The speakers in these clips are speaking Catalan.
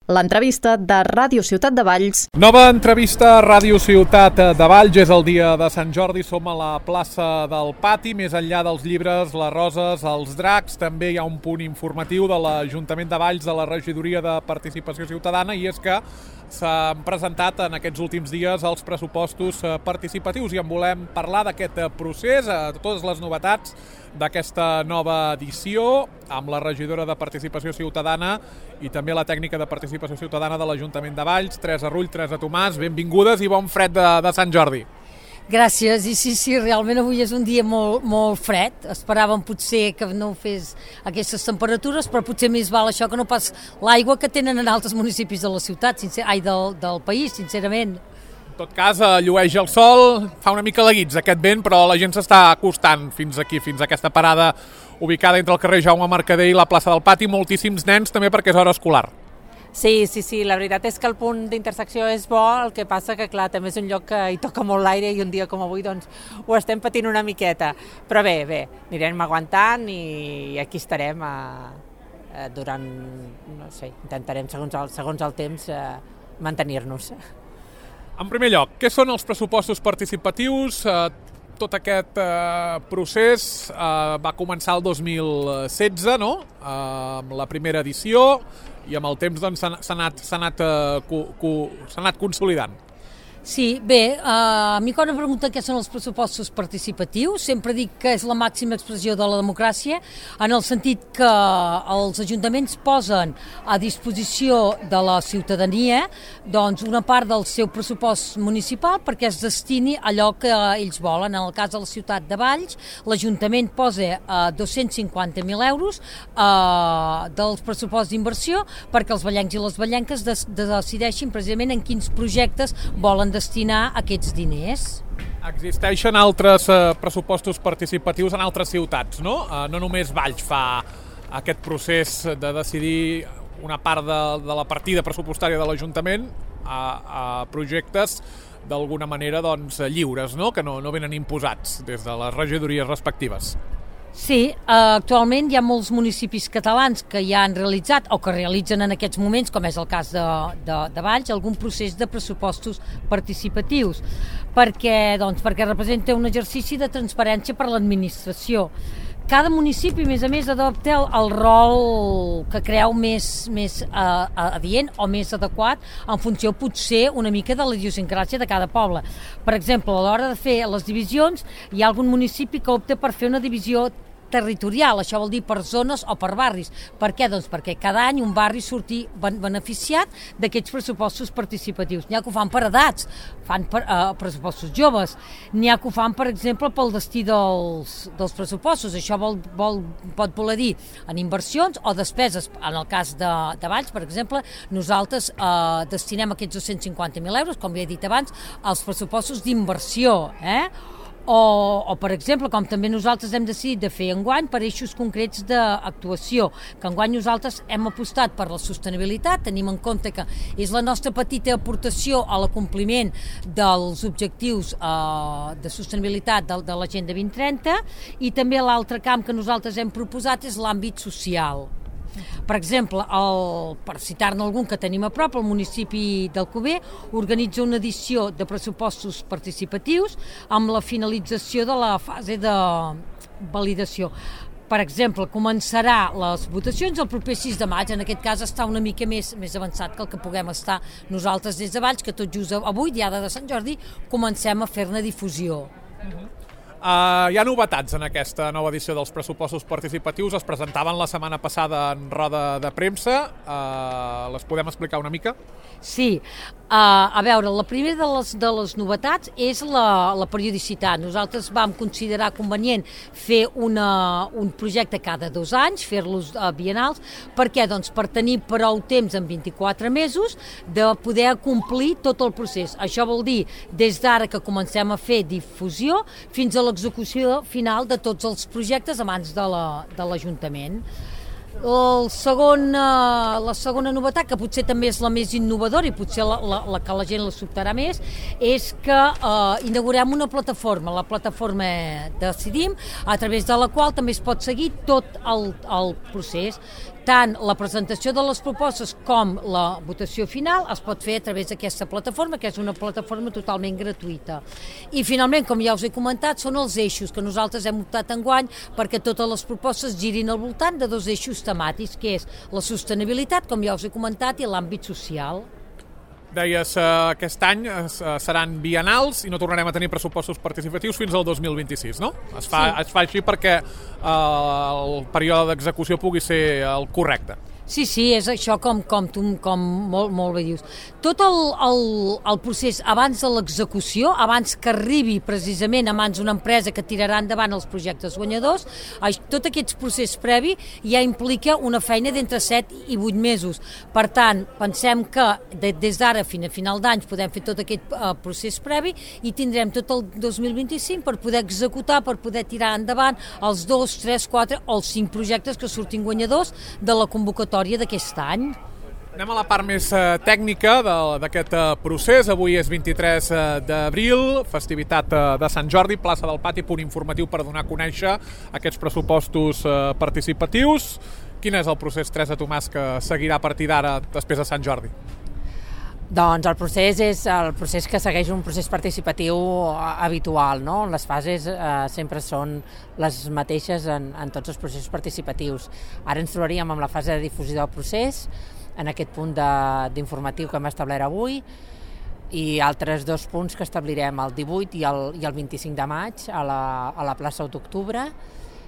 L'entrevista de Ràdio Ciutat de Valls. Nova entrevista a Ràdio Ciutat de Valls. És el dia de Sant Jordi, som a la plaça del Pati. Més enllà dels llibres, les roses, els dracs, també hi ha un punt informatiu de l'Ajuntament de Valls, de la Regidoria de Participació Ciutadana, i és que s'han presentat en aquests últims dies els pressupostos participatius i en volem parlar d'aquest procés, totes les novetats d'aquesta nova edició, amb la regidora de Participació Ciutadana i també la tècnica de Participació Ciutadana de l'Ajuntament de Valls, Teresa Rull, Teresa Tomàs. Benvingudes i bon fred de Sant Jordi. Gràcies, i sí, realment avui és un dia molt fred. Esperàvem potser que no fes aquestes temperatures, però potser més val això que no pas l'aigua que tenen en altres municipis de la ciutat, del país, sincerament. En tot cas, llueix el sol, fa una mica laguits aquest vent, però la gent s'està acostant fins aquí, fins a aquesta parada ubicada entre el carrer Jaume Mercader i la plaça del Pati. Moltíssims nens també perquè és hora escolar. Sí, la veritat és que el punt d'intersecció és bo, el que passa que, clar, també és un lloc que hi toca molt l'aire i un dia com avui doncs ho estem patint una miqueta. Però bé, anirem aguantant i aquí estarem durant, no sé, intentarem segons el temps mantenir-nos. En primer lloc, què són els pressupostos participatius? Tot aquest procés va començar el 2016, no? Amb la primera edició, i amb el temps doncs, s'ha anat consolidant. Sí, bé, a mi quan em pregunten què són els pressupostos participatius, sempre dic que és la màxima expressió de la democràcia, en el sentit que els ajuntaments posen a disposició de la ciutadania doncs, una part del seu pressupost municipal perquè es destini a allò que ells volen. En el cas de la ciutat de Valls, l'Ajuntament posa 250.000 euros dels pressuposts d'inversió perquè els vallencs i les vallenques decideixin precisament en quins projectes volen destinar aquests diners. Existeixen altres pressupostos participatius en altres ciutats, no? No només Valls fa aquest procés de decidir una part de la partida pressupostària de l'Ajuntament a projectes d'alguna manera doncs, lliures, no? Que no venen imposats des de les regidories respectives. Sí, actualment hi ha molts municipis catalans que ja han realitzat o que realitzen en aquests moments, com és el cas de Valls, algun procés de pressupostos participatius, perquè representa un exercici de transparència per a l'administració. Cada municipi, a més, adopta el rol que creu més adient o més adequat en funció, potser, una mica de la idiosincràsia de cada poble. Per exemple, a l'hora de fer les divisions, hi ha algun municipi que opta per fer una divisió territorial, això vol dir per zones o per barris. Per què? Doncs perquè cada any un barri surti beneficiat d'aquests pressupostos participatius. N'hi ha que ho fan per edats, fan pressupostos joves, n'hi ha que ho fan, per exemple, pel destí dels pressupostos. Això pot voler dir en inversions o despeses. En el cas de Valls, per exemple, nosaltres destinem aquests 250.000 euros, com ja he dit abans, als pressupostos d'inversió, O, per exemple, com també nosaltres hem decidit de fer enguany per eixos concrets d'actuació, que enguany nosaltres hem apostat per la sostenibilitat, tenim en compte que és la nostra petita aportació a l'acompliment dels objectius de sostenibilitat de l'Agenda 2030, i també l'altre camp que nosaltres hem proposat és l'àmbit social. Per exemple, per citar-ne algun que tenim a prop, el municipi d'Alcover organitza una edició de pressupostos participatius amb la finalització de la fase de validació. Per exemple, començarà les votacions el proper 6 de maig, en aquest cas està una mica més avançat que el que puguem estar nosaltres des de Valls, que tot just avui, diada de Sant Jordi, comencem a fer-ne difusió. Hi ha novetats en aquesta nova edició dels pressupostos participatius, es presentaven la setmana passada en roda de premsa, les podem explicar una mica? Sí, a veure, la primera de les novetats és la periodicitat. Nosaltres vam considerar convenient fer un projecte cada 2 anys, fer-los biennals. Per què? Doncs per tenir prou temps en 24 mesos de poder complir tot el procés. Això vol dir des d'ara que comencem a fer difusió fins a l'execució final de tots els projectes abans de l'Ajuntament. La segona novetat, que potser també és la més innovadora i potser la que la gent la sobtarà més, és que inaugurem una plataforma, la plataforma Decidim, a través de la qual també es pot seguir tot el procés. tant la presentació de les propostes com la votació final es pot fer a través d'aquesta plataforma, que és una plataforma totalment gratuïta. I finalment, com ja us he comentat, són els eixos que nosaltres hem optat enguany perquè totes les propostes girin al voltant de 2 eixos temàtics, que és la sostenibilitat, com ja us he comentat, i l'àmbit social. Deies aquest any seran biennals i no tornarem a tenir pressupostos participatius fins al 2026, no? Es fa així perquè el període d'execució pugui ser el correcte. Sí, és això com molt bé dius. Tot el procés abans de l'execució, abans que arribi precisament a mans d'una empresa que tirarà endavant els projectes guanyadors, tot aquest procés previ ja implica una feina d'entre 7 i 8 mesos. Per tant, pensem que des d'ara fins a final d'any podem fer tot aquest procés previ i tindrem tot el 2025 per poder executar, per poder tirar endavant els 2, 3, 4 o els 5 projectes que surtin guanyadors de la convocatòria d'aquest any. Anem a la part més tècnica d'aquest procés. Avui és 23 d'abril, festivitat de Sant Jordi, plaça del Pati, punt informatiu per donar a conèixer aquests pressupostos participatius. Quin és el procés, Teresa Tomàs, que seguirà a partir d'ara després de Sant Jordi? Doncs el procés és el procés que segueix un procés participatiu habitual, no? Les fases sempre són les mateixes en tots els processos participatius. Ara ens trobaríem amb la fase de difusió del procés, en aquest punt d'informatiu que hem establert avui, i altres 2 punts que establirem el 18 i el 25 de maig a la plaça d'Octubre.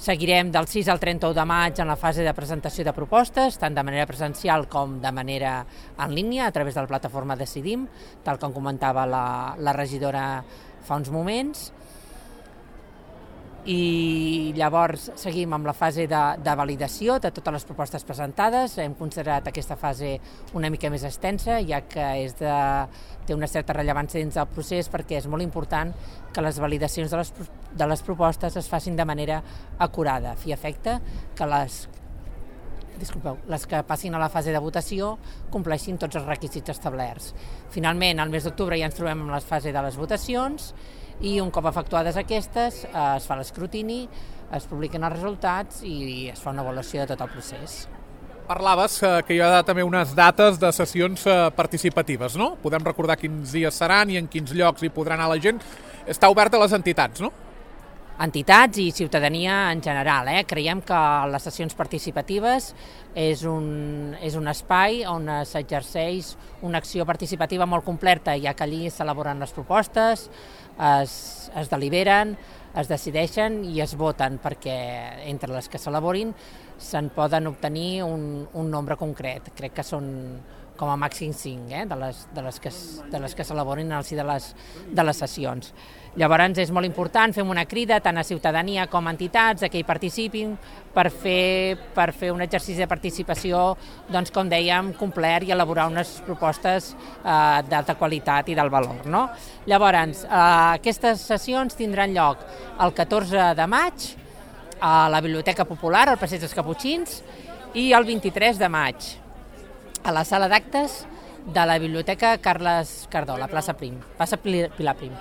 Seguirem del 6 al 31 de maig en la fase de presentació de propostes, tant de manera presencial com de manera en línia, a través de la plataforma Decidim, tal com comentava la regidora fa uns moments. I llavors seguim amb la fase de validació de totes les propostes presentades. Hem considerat aquesta fase una mica més extensa, ja que té una certa rellevància dins del procés, perquè és molt important que les validacions de les propostes es facin de manera acurada, a fi i efecte que les que passin a la fase de votació compleixin tots els requisits establerts. Finalment, al mes d'octubre ja ens trobem en la fase de les votacions i un cop efectuades aquestes es fa l'escrutini, es publiquen els resultats i es fa una avaluació de tot el procés. Parlaves que hi ha també unes dates de sessions participatives, no? Podem recordar quins dies seran i en quins llocs hi podrà anar la gent. Està obert a les entitats, no? Entitats i ciutadania en general. Creiem que les sessions participatives és un espai on s'exerceix una acció participativa molt completa, ja que allí s'elaboren les propostes, es deliberen, es decideixen i es voten, perquè entre les que s'elaborin se'n poden obtenir un nombre concret. Crec que són com a màxim 5 de les que s'elaborin al si de les sessions. Llavors és molt important, fem una crida tant a ciutadania com a entitats que hi participin per fer un exercici de participació, doncs, com dèiem, complet i elaborar unes propostes d'alta qualitat i del valor, no? Llavors, aquestes sessions tindran lloc el 14 de maig a la Biblioteca Popular, al Passeig dels Caputxins, i el 23 de maig a la sala d'actes de la Biblioteca Carles Cardó, la plaça Pilar Prim.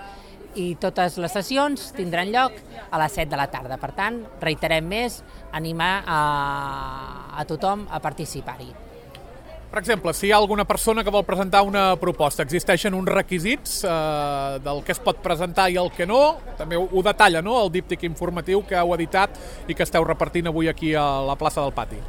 I totes les sessions tindran lloc a les 7 de la tarda. Per tant, reiterem més, animar a tothom a participar-hi. Per exemple, si hi ha alguna persona que vol presentar una proposta, existeixen uns requisits del que es pot presentar i el que no? També ho detalla, no?, el díptic informatiu que heu editat i que esteu repartint avui aquí a la plaça del Pati.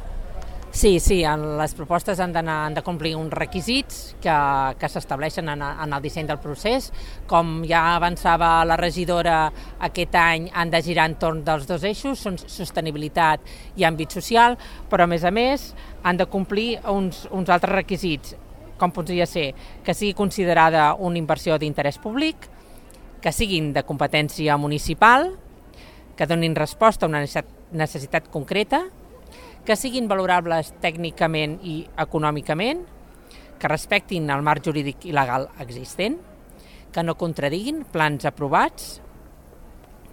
Sí, les propostes han de complir uns requisits que s'estableixen en el disseny del procés. Com ja avançava la regidora, aquest any han de girar entorn dels 2 eixos, són sostenibilitat i àmbit social, però a més han de complir uns altres requisits, com podria ser que sigui considerada una inversió d'interès públic, que siguin de competència municipal, que donin resposta a una necessitat concreta, que siguin valorables tècnicament i econòmicament, que respectin el marc jurídic i legal existent, que no contradiguin plans aprovats,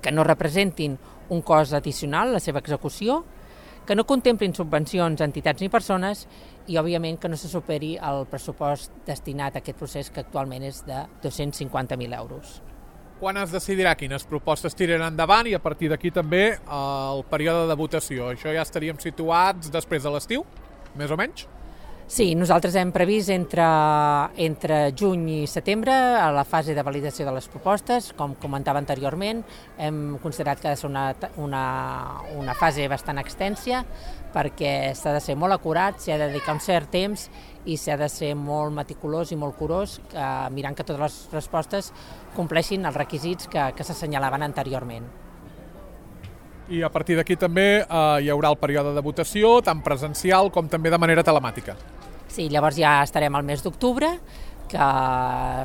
que no representin un cost addicional a la seva execució, que no contemplin subvencions a entitats ni persones i, òbviament, que no se superi el pressupost destinat a aquest procés, que actualment és de 250.000 euros. Quan es decidirà quines propostes tiraran endavant i a partir d'aquí també el període de votació? Això ja estaríem situats després de l'estiu? més o menys? Sí, nosaltres hem previst entre juny i setembre a la fase de validació de les propostes. Com comentava anteriorment, hem considerat que ha de ser una fase bastant extensa perquè s'ha de ser molt acurat, s'ha de dedicar un cert temps i s'ha de ser molt meticulós i molt curós, mirant que totes les respostes compleixin els requisits que s'assenyalaven anteriorment. I a partir d'aquí també hi haurà el període de votació, tant presencial com també de manera telemàtica. Sí, llavors ja estarem al mes d'octubre, que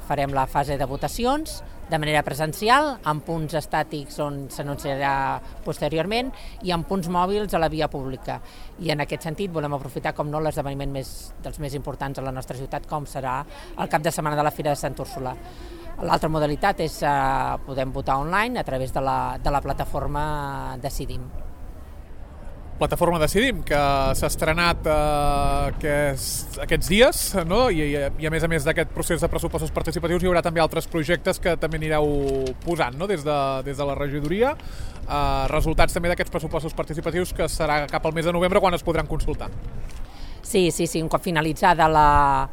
farem la fase de votacions de manera presencial, amb punts estàtics on s'anunciarà posteriorment i amb punts mòbils a la via pública. I en aquest sentit volem aprofitar, com no, l'esdeveniment dels més importants a la nostra ciutat, com serà el cap de setmana de la Fira de Sant Úrsula. L'altra modalitat és podem votar online a través de la plataforma Decidim. Plataforma Decidim, que s'ha estrenat aquests dies, no? I a més d'aquest procés de pressupostos participatius hi haurà també altres projectes que també anireu posant, no? des de la regidoria, resultats també d'aquests pressupostos participatius, que serà cap al mes de novembre quan es podran consultar. Sí, un cop finalitzada la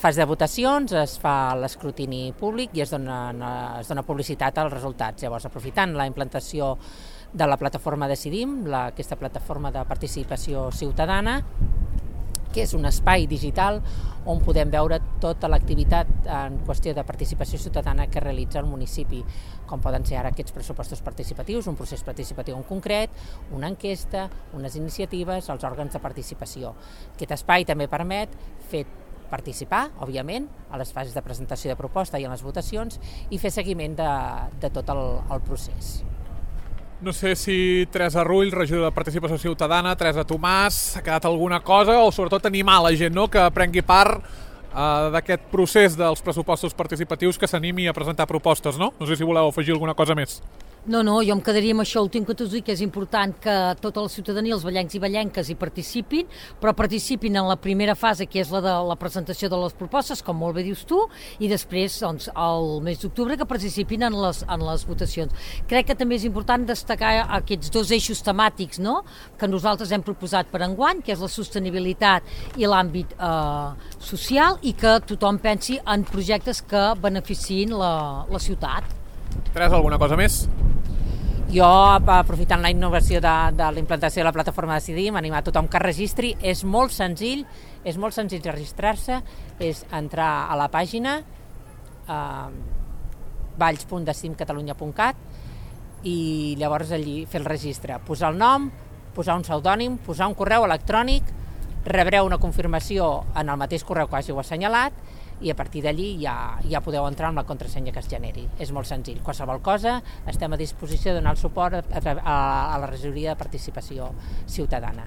fase de votacions es fa l'escrutini públic i es dona publicitat als resultats. Llavors, aprofitant la implantació de la plataforma Decidim, aquesta plataforma de participació ciutadana, que és un espai digital on podem veure tota l'activitat en qüestió de participació ciutadana que realitza el municipi, com poden ser ara aquests pressupostos participatius, un procés participatiu en concret, una enquesta, unes iniciatives, els òrgans de participació. Aquest espai també permet fer participar, òbviament, a les fases de presentació de proposta i en les votacions i fer seguiment de tot el procés. No sé si Teresa Rull, regidora de Participació Ciutadana, Teresa Tomàs, ha quedat alguna cosa o sobretot animar la gent, no?, que prengui part d'aquest procés dels pressupostos participatius, que s'animi a presentar propostes, no? No sé si voleu afegir alguna cosa més. No, jo em quedaria amb això últim que t'ho dic, que és important que tota la ciutadania, els vallencs i vallenques, hi participin, però participin en la primera fase, que és la de la presentació de les propostes, com molt bé dius tu, i després, doncs, al mes d'octubre, que participin en les votacions. Crec que també és important destacar aquests dos eixos temàtics, no?, que nosaltres hem proposat per enguany, que és la sostenibilitat i l'àmbit social, i que tothom pensi en projectes que beneficiïn la ciutat. Teresa, alguna cosa més? Jo, aprofitant la innovació de la implantació de la plataforma Decidim, animar tothom que registri. És molt senzill registrar-se, és entrar a la pàgina valls.decidimcatalunya.cat i llavors allí fer el registre, posar el nom, posar un pseudònim, posar un correu electrònic, rebreu una confirmació en el mateix correu que hàgiu assenyalat i a partir d'allí ja podeu entrar amb la contrasenya que es generi. És molt senzill. Qualsevol cosa, estem a disposició de donar el suport a la regidoria de participació ciutadana.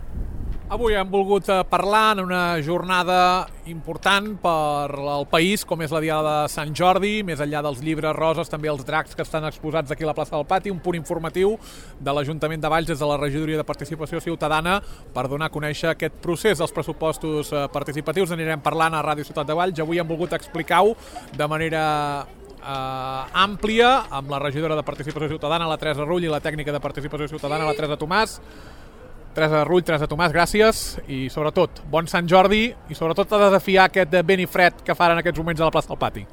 Avui hem volgut parlar en una jornada important per al país, com és la Diada de Sant Jordi, més enllà dels llibres roses, també els dracs que estan exposats aquí a la plaça del Pati, un punt informatiu de l'Ajuntament de Valls des de la Regidoria de Participació Ciutadana per donar a conèixer aquest procés dels pressupostos participatius. Anirem parlant a Ràdio Ciutat de Valls. Avui hem volgut explicar-ho de manera àmplia amb la regidora de Participació Ciutadana, la Teresa Rull, i la tècnica de Participació Ciutadana, la Teresa Tomàs. Teresa Rull, Teresa Tomàs, gràcies i sobretot bon Sant Jordi i sobretot a desafiar aquest vent i fred que fan en aquests moments a la plaça del Pati.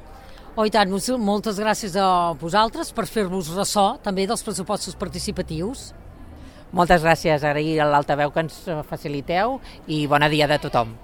Oh, i tant, moltes gràcies a vosaltres per fer-vos ressò també dels pressupostos participatius. Moltes gràcies, agrair a l'altaveu que ens faciliteu i bona dia de tothom.